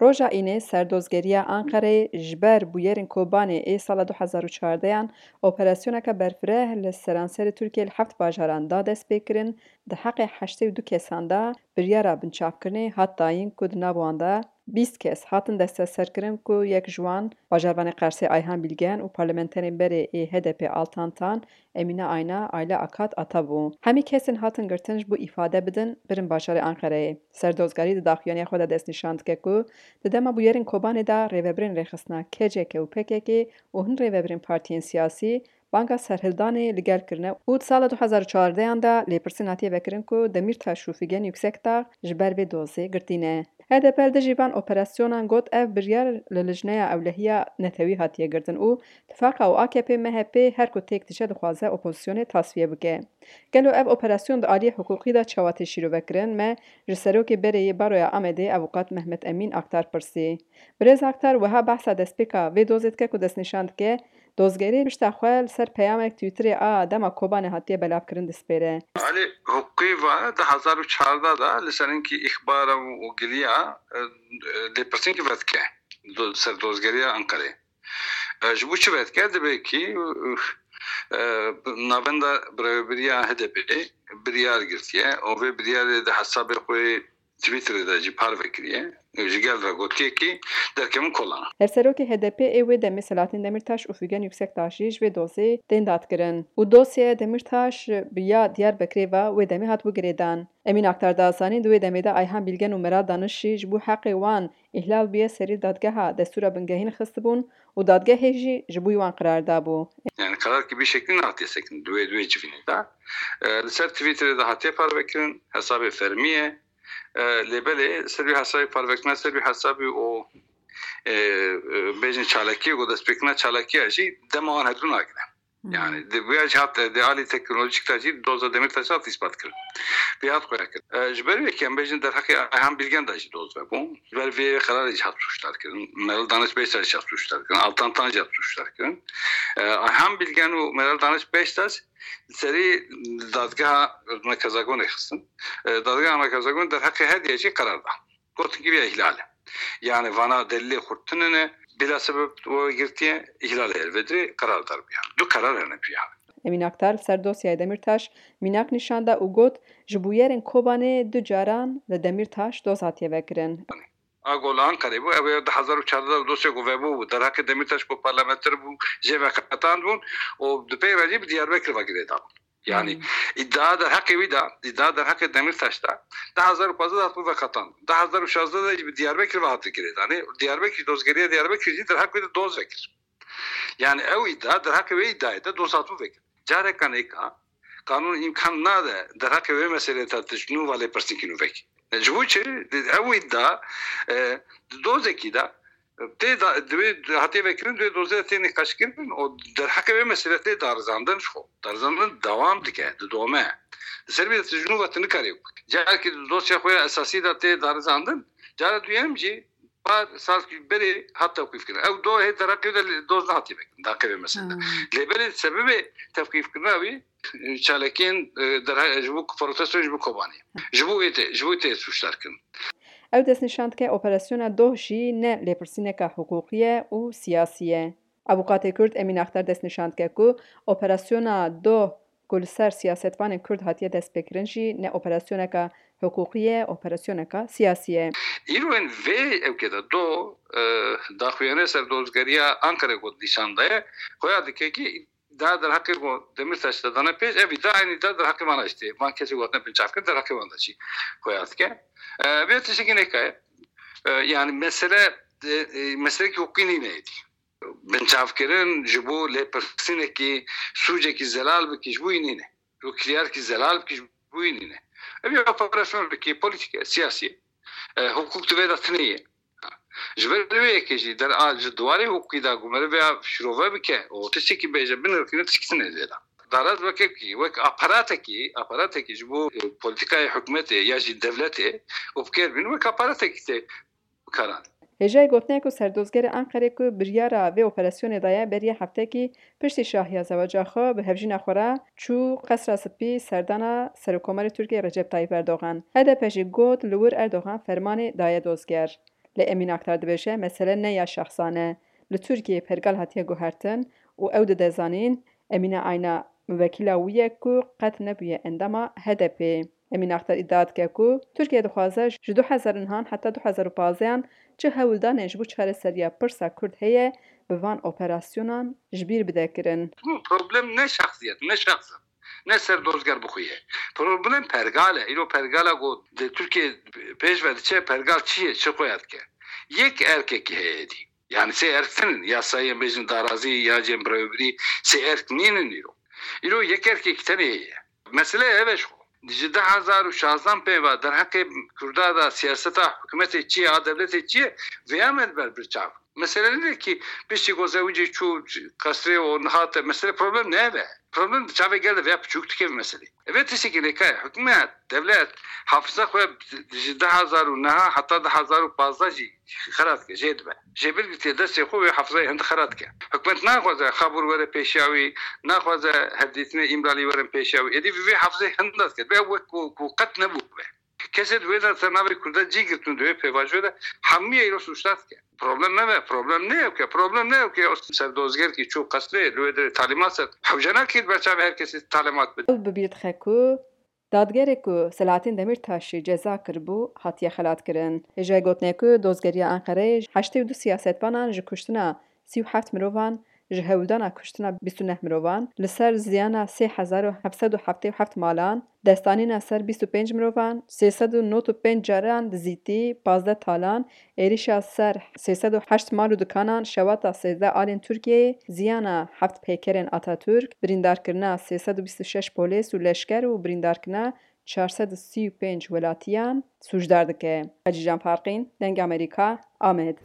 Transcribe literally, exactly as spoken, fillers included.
Roja Înê serdozgeriya Anqereyê ji ber bûyerên Kobanê ê sala du hezar û çardeh an operasyoneke berfireh li seranserê Tirkiyê li heft bajaran da destpêkirin, di heqê heştê û du kesan de biryara binçavkirinê hat dayîn ku di nav wan de bîst kes hatin desteserkirin ku yek ji wan bajarvanê Qersê Ayhan Bilgen û parlamenterên berê ê H D P Altan Tan, Emîne Ayna, Ayla Akat Ata bû. Hemî kesên hatin girtin ji bo îfade bidin, birin bajarê Anqereyê. Serdozgarî di daxuyaniya xwe de destnîşan dike ku di dema bûyerên Kobanê de rêvebirên rêxistina K C K û P K K û hin rêvebirên partiyên siyasî banga serhildanê li gel kirine û di sala du hezar û çardeh an de lêpirsîn hatiye vekirin ku Demîrtaş û Figen Yüksekdağ ji ber vê dozê girtî ne. H D P li dijî van operasyonan got ev biryar li Lijneya Ewlehiya Netewî hatiye girtin û Tifaqa û A K P M H P her ku têk diçe dixwaze opozisyonê tasfiye bike. Gelo ev operasyon di aliyê hiqûqî de çawa tê şîrove kirin? Me ji serokê berê yê Baroya Amedê Avûkat Mehmet Emîn Aktar pirsî. Birêz Aktar wiha behsa destpêka vê dozê dike ku destnîşan dike, dozgerî pişta xwe li ser peyamek Twitterê a dema Kobanê hatiye belavkirin dispêre. Alî hiqûqî ve di hezar û çardeh de li ser hinkî îxbara û giliya, e, e, lêpirsînkî vedike do-, ser dozgeriya Enqerê. E, ji bo çi vedike? Dibê kî, e, navenda birayobiriya H D P biryar girtiye û vê biryarê di hesabê xwe Twitterê de jî parve kiriye. Ji gel re gotiye kî derkevin kolana. Hevserokê H D P ê wê demê Selahattin Demirtaş û Figen Yüksekdağ jî ji vê dozê tên dadkirin û dosyeya Demirtaş bi ya Diyarbekirê ve wê demê hatibû girêdan. Emîn Aktar da zanîn, di wê demê de Ayhan Bilgen û Meral Daniş jî ji bo heqê wan îhlal bûye serî dadgeha destûra bingehîn xistibûn û dadgehê jî ji bo wan qirar dabû. Yani karar ki bir şekli nehatiye sekin. Duê, duê civînê de. E, li ser Twitterê de hatiye parvekirin, hesabê fermî ye. E, lê belê ser wî hesabê parvekirina, ser wî hesabê û, e, e, bêjin çalakiyê, ku destpêkirina çalakiya jî dema wan hedu nagire. Hmm. Yani, di vêya jî hat, di alî teknolojîk de jî doza Demîrtaş hat îspat kirin. Vê hat xuya kirin. E, ji ber wê ke em bêjin derheqê Ayhan Bilgen de jî doz vebû. Ji ber vê qerarê jî hat sûcdar kirin. Meral Daniş Beştaş jî hat sûcdar kirin. Altan Tan jî hat sûcdar kirin. E, Ayhan Bilgen û Meral Daniş Beştaş serî dadgeha Merkez Agonê xistin. E, dadgeha Merkez Agonê derheqê her yekê jî qerar da. Gotin ki vê îhlal e. Yani vana delilê xurt tune ne, bila sebeb we girtiye, îhlal e, vê dirê qerar dar bûye. Du qerar hene pîya. Emîn Aktar li ser dosyayê Demîrtaş mînak nîşan da û got, ji bûyerên Kobanê du caran li Demîrtaş doz hatiye vekirin. A ku li Anqerê bû, ew ê du hezar û çardeh de dosyek ku vebû bû. Derheqê Demîrtaş ku parlamenter bû, jê veqetandibûn û di pey re jî bi Diyarbekir ve girêdabûn. Yani Hmm. îdia derheqê wî de, îdia derheqê Demîrtaş de, du hezar û pazdeh de hatibû veqetandin. Du hezar û şazdeh de jî bi Diyarbekir ve hatibû girêdanê. Diyarbekir, dozgeriya Diyarbekir jî derheq wî de doz vekir. Yani ew îdia derheqê wê îdiayê de doz hatibû vekir. Careka nêka, qanûn îmkan nade derheqê wê meselê de tu ji nû ve lêpirsînkî nû vekî. Ji bo çi? Ew îdia, e, di dozekî de, tê da, divê hatiye vekirin, divê dozê de tê nîqaşkirin û derheqê wê meselê tê darizandin ji xwe. Darizandin dewam dike, didome. Di ser vê de tu ji nû ve tu nikarî. Carekî di dosya xwe ya esasî de tê darizandin, cara duyem jî par salkî berê hat tewqîfkirin. Ew do hê derheqê de doz nehatiye vekirin, derheqê vê meselê de. Hmm. Lê belê sebebê tewqîfkirina wî, e, çalakiyên, e, derhe-, ji bo protestoyên ji bo Kobanê. Ji bo wê tê, ji bo tê sûcdar kirin. Ew destnîşan dike operasyona doh jî ne lêpirsîneka hiqûqî ye û siyasî ye. Avûkatê Kurd Emîn Aktar destnîşan dike ku operasyona doh ku li ser siyasetvanên Kurd hatiye destpêkirin jî ne operasyoneka hiqûqî ye, operasyoneka siyasî ye. Îro in vê ewkê de do, e, daxuyane serdozgeriya Anqerê ku nîşan daye, xuya dike ki da derheqê ku Demîrtaş de dane pêş, ev îdia eynî da derheqê vana jî tê. Van kesê ku hatine binçavkirin derheqê wan de jî xuya dike. E, vê tiştekî nêka ye. E, yani mesele, e, e, meselekî hiqûqî nîne êdî. Binçavkirin ji bo lêpirsînekî, sûcekî zelal bikî ji bo wî nîne. Ji bo kiryarkî zelal bikî ji bo wî nîne. Ev ya operasyon bikî, polîtîk e, siyasî ye. E, hiqûq di vê de tune ye. Ji ber wê yekê jî der a ji diwarê hiqûqî de ku meriv ya şirove bike û tiştekî bêje, binirxîne, tiştekî tune zêde. Daraz weke kî, wek aparatekî, aparatekî ji bo, e, polîtîkayê hikûmetê ya jî dewletê û bi kêr bîn wek aparatekî tê bikaran. Hêjayî gotinê ku serdozgerê Enqerê ku biryara vê operasyonê daye beriya heftekî piştî şahiya zewaca xwe bi hevjîna xwe re çû Qesra Spî serdana Serokkomarê Tirkiyê Recep Tayyip Erdogan. H D P jî got li wir Erdogan fermanê daye dozger. Lê Emîn Aktar dibêje, mesele ne ya şexsan e. Li Tirkiyeyê pergal hatiye guhertin û ew dide zanîn, Emîne Ayna muvekîla wî ye ku qet nebûye endama H D P'ê. Emîn Aktar îdia dike ku Tirkiye dixwaze ji du hezar û nehan heta du hezar û pazdehan çi hewldanên ji bo çareseriya pirsa Kurd heye, bi van operasyonan ji bîr bide kirin. Problem ne şexsiyet, ne şexs in, ne Serdozger bi xwe ye. Problem pergal e. Îro pergala ku di Tirkiye pêş ve diçe, pergal çi ye, çi xuya dike? Yek erkekî heye dî. Yani sê erk tinin, yasayên bêjin darazî ya cem birewbirî, sê erk nînin îro. Îro yek erkekî tenê heye. Mesele ev e ji xwe. Ji du hezar û şazdehan pê ve derheqê Kurda de siyaseta hikûmetê çi ye, a dewletê çi ye, vêya me li ber bir çav. Mesele nîne ki piştî ku zewicê çû qesrê û hate, mesele problem ne ev e. Problem di çavê gel de vêya piçûk dike vê meselê. Ev ê tiştekî nêka ye. Hikûmet, dewlet, hafiza xwe ji du hezar û nehan heta du hezar û pazdeh jî xera dike, jê dibe. Jêbir girtiye destê xwe, wê hafizayê hind xera dike. Hikûmet naxwaze Xabûr were pêşiya wî, naxwaze hevdîtinê Îmralî werin pêşiya wî. Êdî vê hafizayê hinda dike. Vê wek ku, ku qet nebû be. Kesê di wê de ser navê Kurda cî girtin di wê pêvajoyê de hemûyê îro sûcdar dike. Problem ne be, problem ne ew ke, problem ne ew ke o Serdozger ki çû qesrê, li wê derê talîmat ser. Hewce nakir ber çavê her kesî talîmat bide. Ew bi bîr dixe ku dadgerê ku Selahattin Demirtaşî ceza kiribû, hatiye xelatkirin. Hêjayê gotinê ku dozgeriya Enqereyê heştê û du siyasetvanan ji kuştina sî û heft mirovan, ji hewldana kuştina bîst û neh mirovan, li ser ziyana sê hezar û heft sed û heftê û heft malan, destanîna ser bîst û pênc mirovan, sê sed û nod û pênc caran dizîtî, pazdeh talan, êrişa ser sê sed û heşt mal û dikanan, şewata sêzdeh alên Tirkiyeyê, ziyana heft peykerên Atatürk, birîndarkirina sê sed û bîst û şeş polês û leşker û birîndarkirina çar sed û sî û pênc welatiyan sûcdar dike. Hecîcan Farqîn, Dengê Amerîka, Amed.